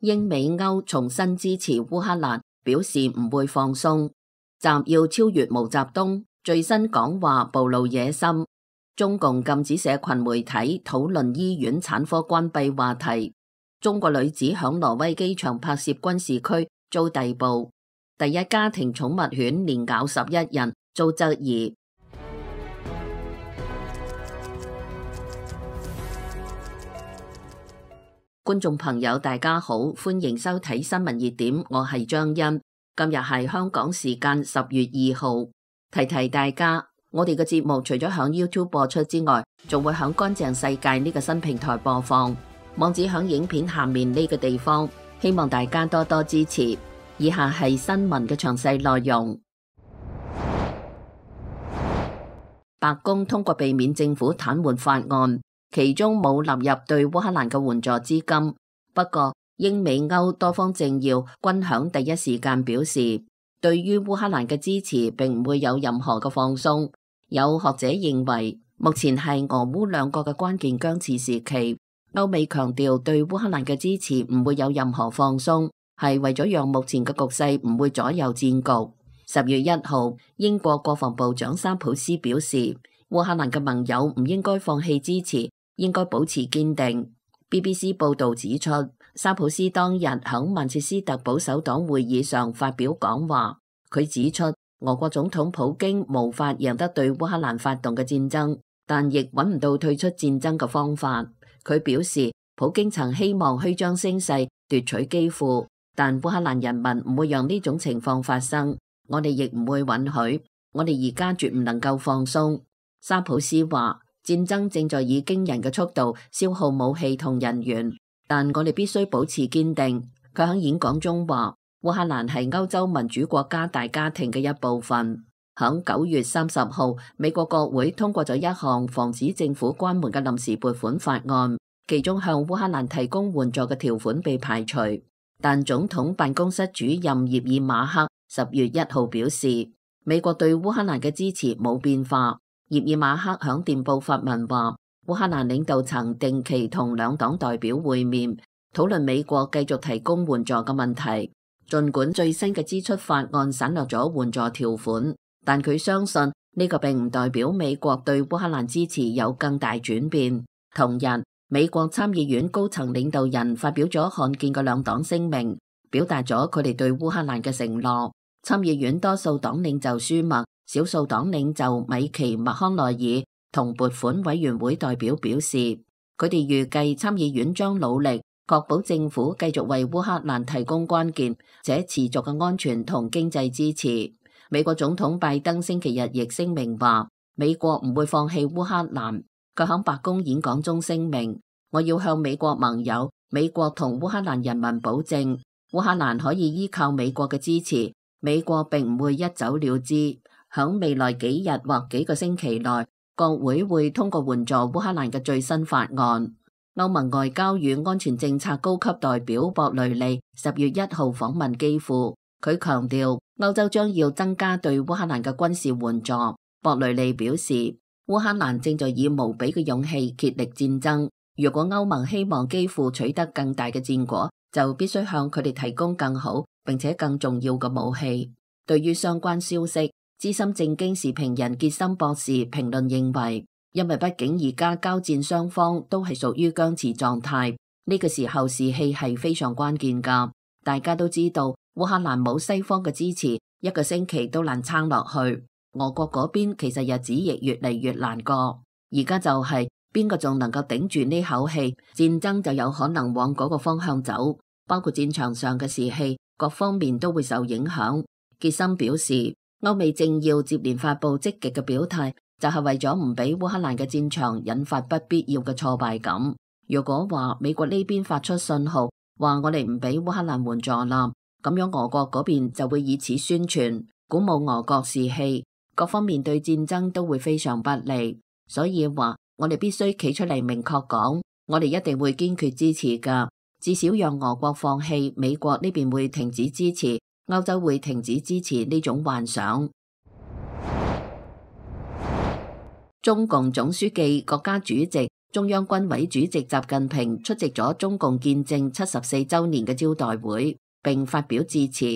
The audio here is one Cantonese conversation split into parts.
英美歐重新支持烏克蘭，表示唔會放鬆。習要超越毛澤東，最新講話暴露野心。中共禁止社群媒體討論醫院產科關閉話題。中國女子響挪威機場拍攝軍事區遭逮捕。第一家庭寵物犬連咬11人遭質疑。觀眾朋友大家好，歡迎收睇新聞熱點，我係張欣。今日係香港時間10月2號，提提大家，我哋嘅節目除咗響 YouTube 播出之外，仲會響乾淨世界呢個新平台播放，網址響影片下面呢個地方，希望大家多多支持。以下係新聞嘅詳細內容。白宮通過避免政府癱瘓法案，其中冇納入對烏克蘭嘅援助資金。不過，英美歐多方政要均響第一時間表示，對於烏克蘭嘅支持並唔會有任何嘅放鬆。有學者認為，目前係俄烏兩國嘅關鍵僵持時期，歐美強調對烏克蘭嘅支持唔會有任何放鬆，係為咗讓目前嘅局勢唔會左右戰局。10月1號，英國國防部長沙普斯表示，烏克蘭嘅盟友唔應該放棄支持，應該保持堅定。BBC 報導指出，沙普斯當日喺曼徹斯特保守黨會議上發表講話，佢指出俄國總統普京無法贏得對烏克蘭發動嘅戰爭，但亦揾唔到退出戰爭嘅方法。佢表示，普京曾希望虛張聲勢奪取基輔，但烏克蘭人民唔會讓呢種情況發生，我哋亦唔會允許，我哋而家絕唔能夠放鬆。沙普斯話，戰爭正在以驚人嘅速度消耗武器同人員，但我哋必須保持堅定。佢喺演講中話，烏克蘭係歐洲民主國家大家庭嘅一部分。喺9月30號，美國國會通過咗一項防止政府關門嘅臨時撥款法案，其中向烏克蘭提供援助嘅條款被排除。但總統辦公室主任葉爾馬克10月1號表示，美國對烏克蘭嘅支持冇變化。葉爾馬克響電報發文話，烏克蘭領導層定期同兩黨代表會面，討論美國繼續提供援助嘅問題。儘管最新嘅支出法案省略咗援助條款，但佢相信呢個並唔代表美國對烏克蘭支持有更大轉變。同日，美國參議院高層領導人發表咗罕見嘅兩黨聲明，表達咗佢哋對烏克蘭嘅承諾。參議院多數黨領袖舒默、少數黨領袖米奇麥康奈爾同撥款委員會代表表示，佢哋預計參議院將努力確保政府繼續為烏克蘭提供關鍵且持續嘅安全同經濟支持。美國總統拜登星期日亦聲明話，美國唔會放棄烏克蘭。佢喺白宮演講中聲明，我要向美國盟友、美國同烏克蘭人民保證，烏克蘭可以依靠美國嘅支持，美國並唔會一走了之。響未來幾日或幾個星期內，國會會通過援助烏克蘭嘅最新法案。歐盟外交與安全政策高級代表博雷利10月1號訪問基輔，佢強調歐洲將要增加對烏克蘭嘅軍事援助。博雷利表示，烏克蘭正在以無比嘅勇氣竭力戰爭，如果歐盟希望基輔取得更大嘅戰果，就必須向佢哋提供更好並且更重要嘅武器。對於相關消息，資深政經時評人傑森博士評論認為，因為畢竟而家交戰雙方都係屬於僵持狀態，呢個時候士氣係非常關鍵㗎。大家都知道烏克蘭冇西方嘅支持，一個星期都難撐落去。俄國嗰邊其實日子亦越嚟越難過，而家就係邊個仲能夠頂住呢口氣，戰爭就有可能往嗰個方向走，包括戰場上嘅士氣，各方面都會受影響。傑森表示，歐美政要接連發布積極嘅表態，就係為咗唔俾烏克蘭嘅戰場引發不必要嘅挫敗感。如果話美國呢邊發出信號，話我哋唔俾烏克蘭援助啦，咁樣俄國嗰邊就會以此宣傳，鼓舞俄國士氣，各方面對戰爭都會非常不利。所以話我哋必須企出嚟明確講，我哋一定會堅決支持㗎，至少讓俄國放棄，美國呢邊會停止支持，歐洲會停止支持呢種幻想。中共總書記、國家主席、中央軍委主席習近平出席咗中共建政74週年嘅招待會，並發表致辭。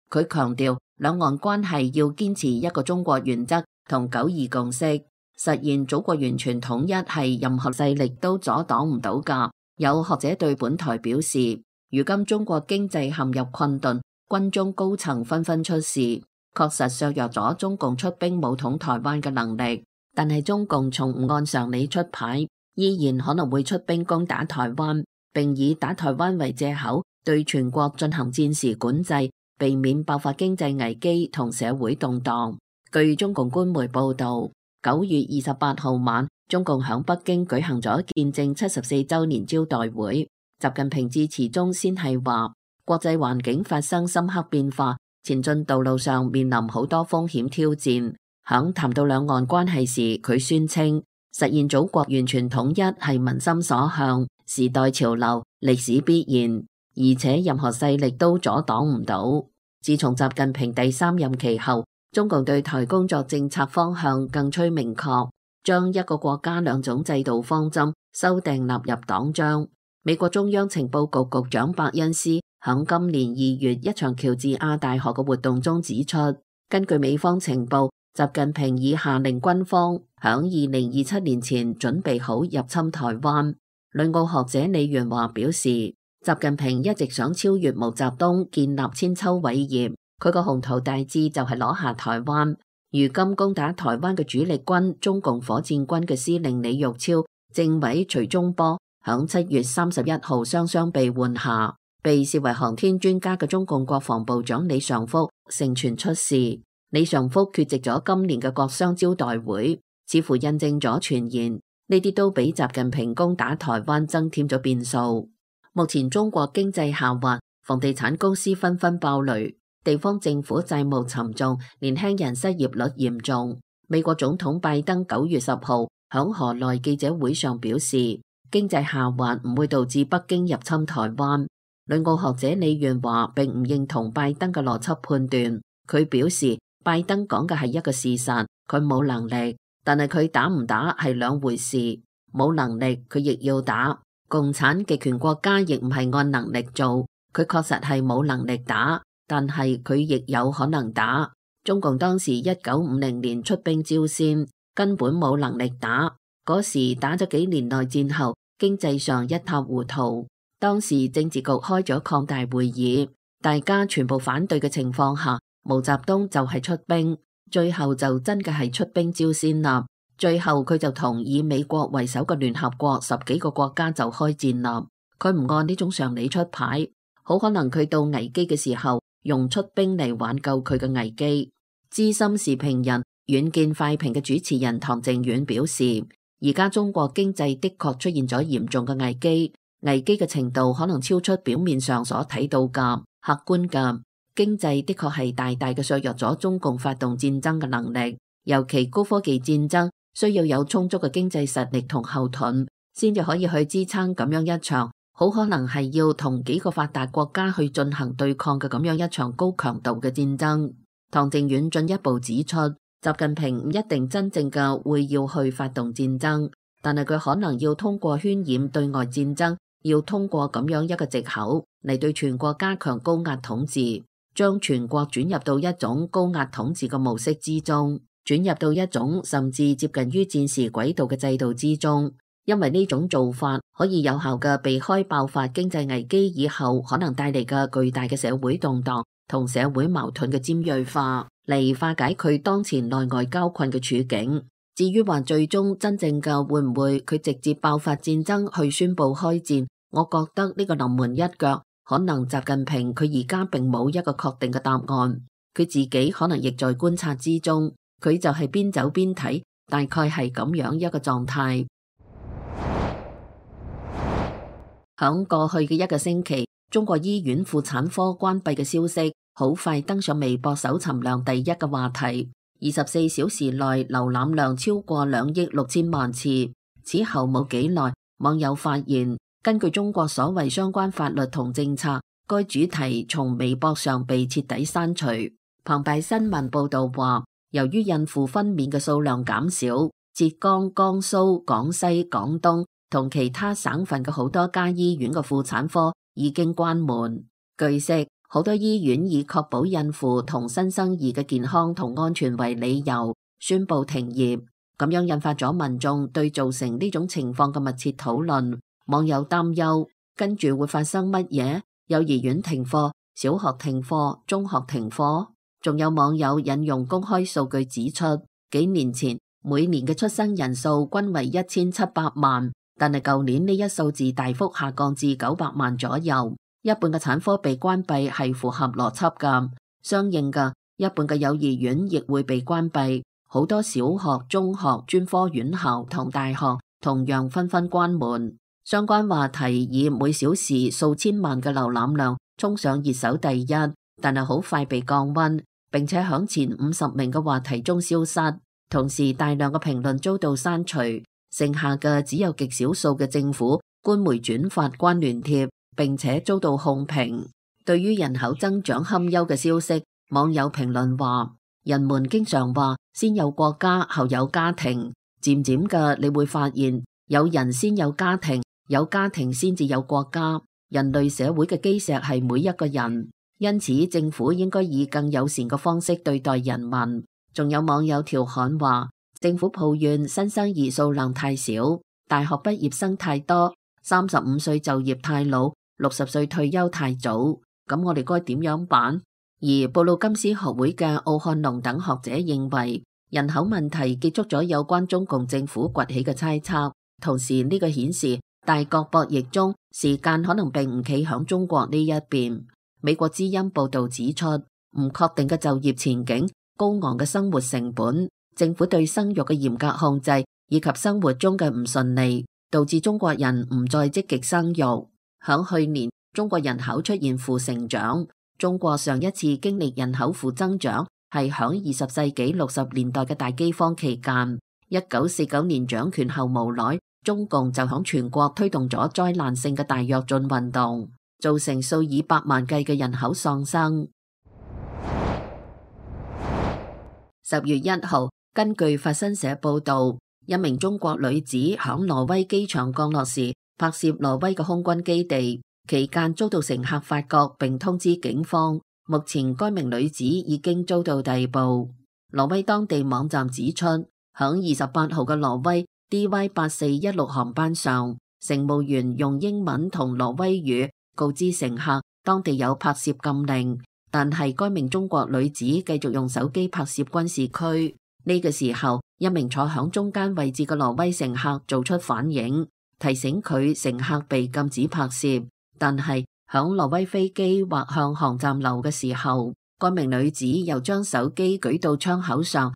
佢強調，兩岸關係要堅持一個中國原則同九二共識，實現祖國完全統一係任何勢力都阻擋唔到㗎。有學者對本台表示，如今中國經濟陷入困頓，軍中高層紛紛出事，確實削弱咗中共出兵武統台灣嘅能力。但係中共從唔按常理出牌，依然可能會出兵攻打台灣，並以打台灣為借口對全國進行戰時管制，避免爆發經濟危機同社會動盪。據中共官媒報道，9月28號晚，中共響北京舉行咗建政74週年招待會。習近平致辭中先係話，國際環境發生深刻變化，前進道路上面臨好多風險挑戰。響談到兩岸關係時，佢宣稱實現祖國完全統一係民心所向、時代潮流、歷史必然，而且任何勢力都阻擋唔到。自從習近平第3任期後，中共對台工作政策方向更趨明確，將一個國家兩種制度方針修訂納入黨章。美國中央情報局局長伯恩斯響今年2月一場喬治亞大學嘅活動中指出，根據美方情報，習近平已下令軍方響2027年前準備好入侵台灣。旅澳學者李元華表示，習近平一直想超越毛澤東，建立千秋偉業。佢個宏圖大志就係攞下台灣。如今攻打台灣嘅主力軍中共火箭軍嘅司令李玉超、政委徐忠波響7月31號雙雙被換下。被視為航天專家嘅中共國防部長李尚福盛傳出事。李尚福缺席咗今年嘅國殤招待會，似乎印證咗傳言，呢啲都俾習近平攻打台灣增添咗變數。目前中國經濟下滑，房地產公司紛紛爆雷，地方政府債務沉重，年輕人失業率嚴重。美國總統拜登9月10號響河內記者會上表示，經濟下滑唔會導致北京入侵台灣。旅澳學者李元華並唔認同拜登嘅邏輯判斷，佢表示，拜登講嘅係一個事實，佢冇能力，但係佢打唔打係兩回事。冇能力佢亦要打，共產極權國家亦唔係按能力做，佢確實係冇能力打，但係佢亦有可能打。中共當時1950年出兵朝鮮，根本冇能力打，嗰時打咗幾年內戰後，經濟上一塌糊塗。當時政治局開咗擴大會議，大家全部反對嘅情況下，毛澤東就係出兵，最後就真嘅係出兵朝鮮啦。最後佢就同以美國為首嘅聯合國10幾個國家就開戰啦。佢唔按呢種常理出牌，好可能佢到危機嘅時候用出兵嚟挽救佢嘅危機。資深時評人遠見快評嘅主持人唐靖遠表示，而家中國經濟的確出現咗嚴重嘅危機，危機嘅程度可能超出表面上所睇到嘅客觀嘅。經濟的確係大大嘅削弱咗中共發動戰爭嘅能力，尤其高科技戰爭需要有充足嘅經濟實力同後盾，先至可以去支撐咁樣一場好可能係要同幾個發達國家去進行對抗嘅咁樣一場高強度嘅戰爭。唐靖遠進一步指出，習近平唔一定真正嘅會要去發動戰爭，但係佢可能要通過渲染對外戰爭，要通過咁樣一個藉口嚟對全國加強高壓統治。將全國轉入到一種高壓統治嘅模式之中，轉入到一種甚至接近於戰時軌道嘅制度之中，因為呢種做法可以有效嘅避開爆發經濟危機以後可能帶嚟嘅巨大嘅社會動盪同社會矛盾嘅尖銳化，嚟化解佢當前內外交困嘅處境。至於話最終真正嘅會唔會佢直接爆發戰爭去宣布開戰，我覺得呢個臨門一腳。可能習近平佢而家並冇一個確定嘅答案，佢自己可能亦在觀察之中，佢就係邊走邊睇，大概係咁樣一個狀態。響過去嘅一個星期，中國醫院婦產科關閉嘅消息好快登上微博搜尋量第一嘅話題，24小時內瀏覽量超過2億6千萬次。此後冇幾耐，網友發現，根據中國所謂相關法律同政策，該主題從微博上被徹底刪除。澎湃新聞報道話，由於孕婦分娩嘅數量減少，浙江、江蘇、廣西、廣東同其他省份嘅好多家醫院嘅婦產科已經關門。據悉，好多醫院以確保孕婦同新生兒嘅健康同安全為理由，宣布停業。咁樣引發咗民眾對造成呢種情況嘅密切討論。網友擔憂，跟住會發生乜嘢？幼兒園停課，小學停課，中學停課。仲有網友引用公開數據指出，幾年前每年嘅出生人數均為1700萬，但係舊年呢一數字大幅下降至900萬左右。一半嘅產科被關閉係符合邏輯㗎，相應嘅一半嘅幼兒園亦會被關閉。好多小學、中學、專科院校同大學同樣紛紛關門。相關話題以每小時數千萬嘅瀏覽量衝上熱搜第一，但係好快被降溫，並且響前50名嘅話題中消失。同時大量嘅評論遭到刪除，剩下嘅只有極少數嘅政府官媒轉發關聯貼，並且遭到控評。對於人口增長堪憂嘅消息，網友評論話：人們經常話先有國家後有家庭，漸漸嘅你會發現有人先有家庭，有家庭先至有國家。人類社會嘅基石係每一個人，因此政府應該以更友善嘅方式對待人民。仲有網友調侃話，政府抱怨新生兒數量太少，大學畢業生太多，35歲就業太老，60歲退休太早，咁我哋該點樣辦？而布魯金斯學會嘅奧漢龍等學者認為，人口問題結束咗有關中共政府崛起嘅猜測，同時呢個顯示大國博弈中時間可能並唔企響中國呢一邊。美國之音報道指出，唔確定嘅就業前景、高昂嘅生活成本、政府對生育嘅嚴格控制以及生活中嘅唔順利，導致中國人唔再積極生育。響去年，中國人口出現負成長。中國上一次經歷人口負增長係響20世紀60年代嘅大饑荒期間。1949年掌權後無耐，中共就響全國推動咗災難性嘅大躍進運動，造成數以百萬計嘅人口喪生。10月1號，根據法新社報道，一名中國女子響挪威機場降落時拍攝挪威嘅空軍基地，期間遭到乘客發覺並通知警方。目前該名女子已經遭到逮捕。挪威當地網站指出，響28號嘅挪威 DY8416 航班上，乘務員用英文同挪威語告知乘客當地有拍攝禁令，但係該名中國女子繼續用手機拍攝軍事區。呢個時候，一名坐響中間位置嘅挪威乘客做出反應，提醒佢乘客被禁止拍攝。但係響挪威飛機或向航站樓嘅時候，該名女子又將手機舉到窗口上。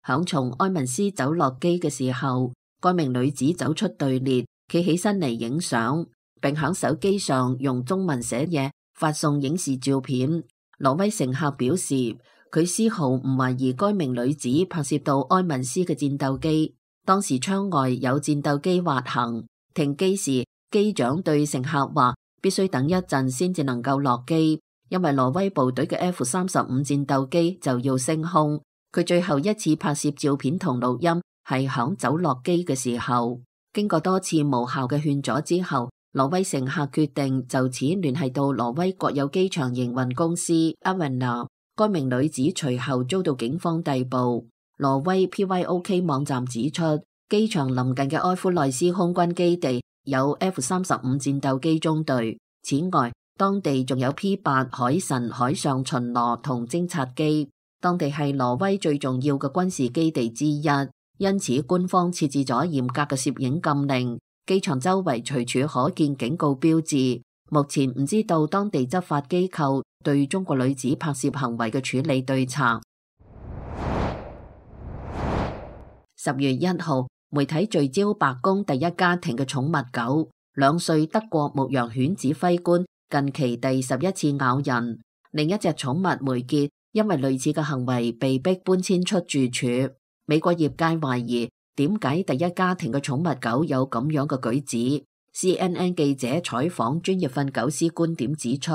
響從埃文斯走落機嘅時候，該名女子走出隊列，企起身嚟影相，並響手機上用中文寫嘢，發送影視照片。挪威乘客表示，佢絲毫唔懷疑該名女子拍攝到埃文斯嘅戰鬥機。當時窗外有戰鬥機滑行，停機時機長對乘客話，必須等一陣先至能夠落機，因為挪威部隊嘅 F-35戰鬥機就要升空。佢最後一次拍攝照片同錄音係響走落機嘅時候。經過多次無效嘅勸阻之後，挪威乘客決定就此聯繫到挪威國有機場營運公司 Avinor。該名女子隨後遭到警方逮捕。挪威 PYOK 網站指出，機場鄰近嘅埃夫內斯空軍基地有 F-35戰鬥機中隊，此外當地仲有 P-8 海神海上巡邏同偵察機。當地係挪威最重要嘅軍事基地之一，因此官方設置咗嚴格嘅攝影禁令。機場周圍隨處可見警告標誌。目前唔知道當地執法機構對中國女子拍攝行為嘅處理對策。10月1號，媒體聚焦白宮第一家庭嘅寵物狗，2歲德國牧羊犬指揮官近期第11次咬人。另一隻寵物梅傑因為類似嘅行為被迫搬遷出住處。美國業界懷疑點解第一家庭嘅寵物狗有咁樣嘅舉止。CNN 記者採訪專業訓狗師觀點指出，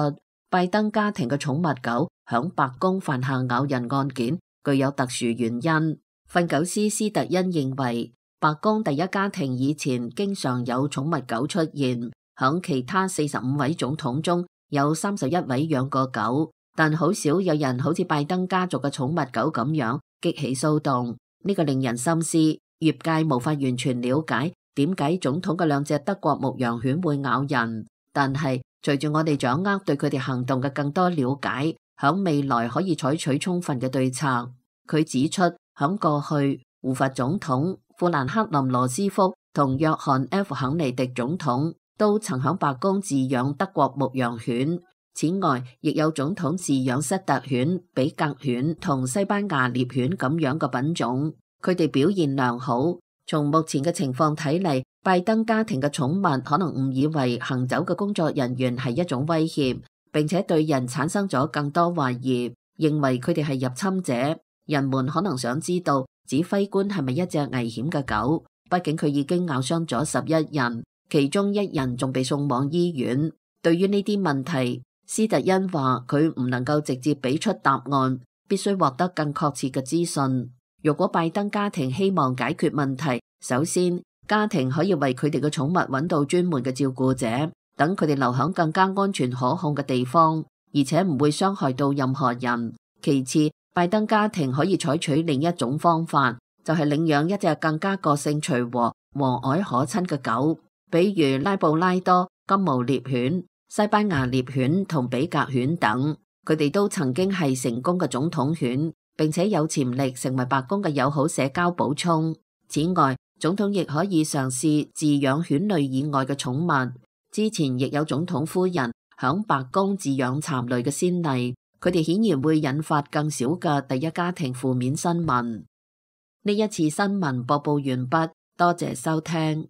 拜登家庭嘅寵物狗響白宮犯下咬人案件，具有特殊原因。訓狗師斯特恩認為，白宮第一家庭以前經常有寵物狗出現，響其他45位總統中有31位養過狗，但好少有人好似拜登家族嘅寵物狗咁樣激起騷動。呢個令人深思，業界無法完全了解點解總統嘅2隻德國牧羊犬會咬人，但係隨住我哋掌握對佢哋行動嘅更多了解，響未來可以採取充分嘅對策。佢指出，響過去胡佛總統、富蘭克林羅斯福同約翰 F 肯尼迪總統都曾響白宮飼養德國牧羊犬。此外，亦有總統飼養塞特犬、比格犬同西班牙獵犬咁樣嘅品種，佢哋表現良好。從目前嘅情況睇嚟，拜登家庭嘅寵物可能誤以為行走嘅工作人員係一種威脅，並且對人產生咗更多懷疑，認為佢哋係入侵者。人們可能想知道指揮官係咪一隻危險嘅狗，畢竟佢已經咬傷咗11人，其中1人仲被送往醫院。對於呢啲問題，斯特恩話佢唔能夠直接俾出答案，必須獲得更確切嘅資訊。如果拜登家庭希望解決問題，首先家庭可以為佢哋嘅寵物揾到專門嘅照顧者，等佢哋留響更加安全可控嘅地方，而且唔會傷害到任何人。其次，拜登家庭可以採取另一種方法，就係領養一隻更加個性隨和、和藹可親嘅狗，比如拉布拉多、金毛獵犬、西班牙獵犬同比格犬等。佢哋都曾經係成功嘅總統犬，並且有潛力成為白宮嘅友好社交補充。此外，總統亦可以嘗試飼養犬類以外嘅寵物。之前亦有總統夫人響白宮飼養蠶類嘅先例。佢哋顯然會引發更少嘅第一家庭負面新聞。呢一次新聞播報完畢，多謝收聽。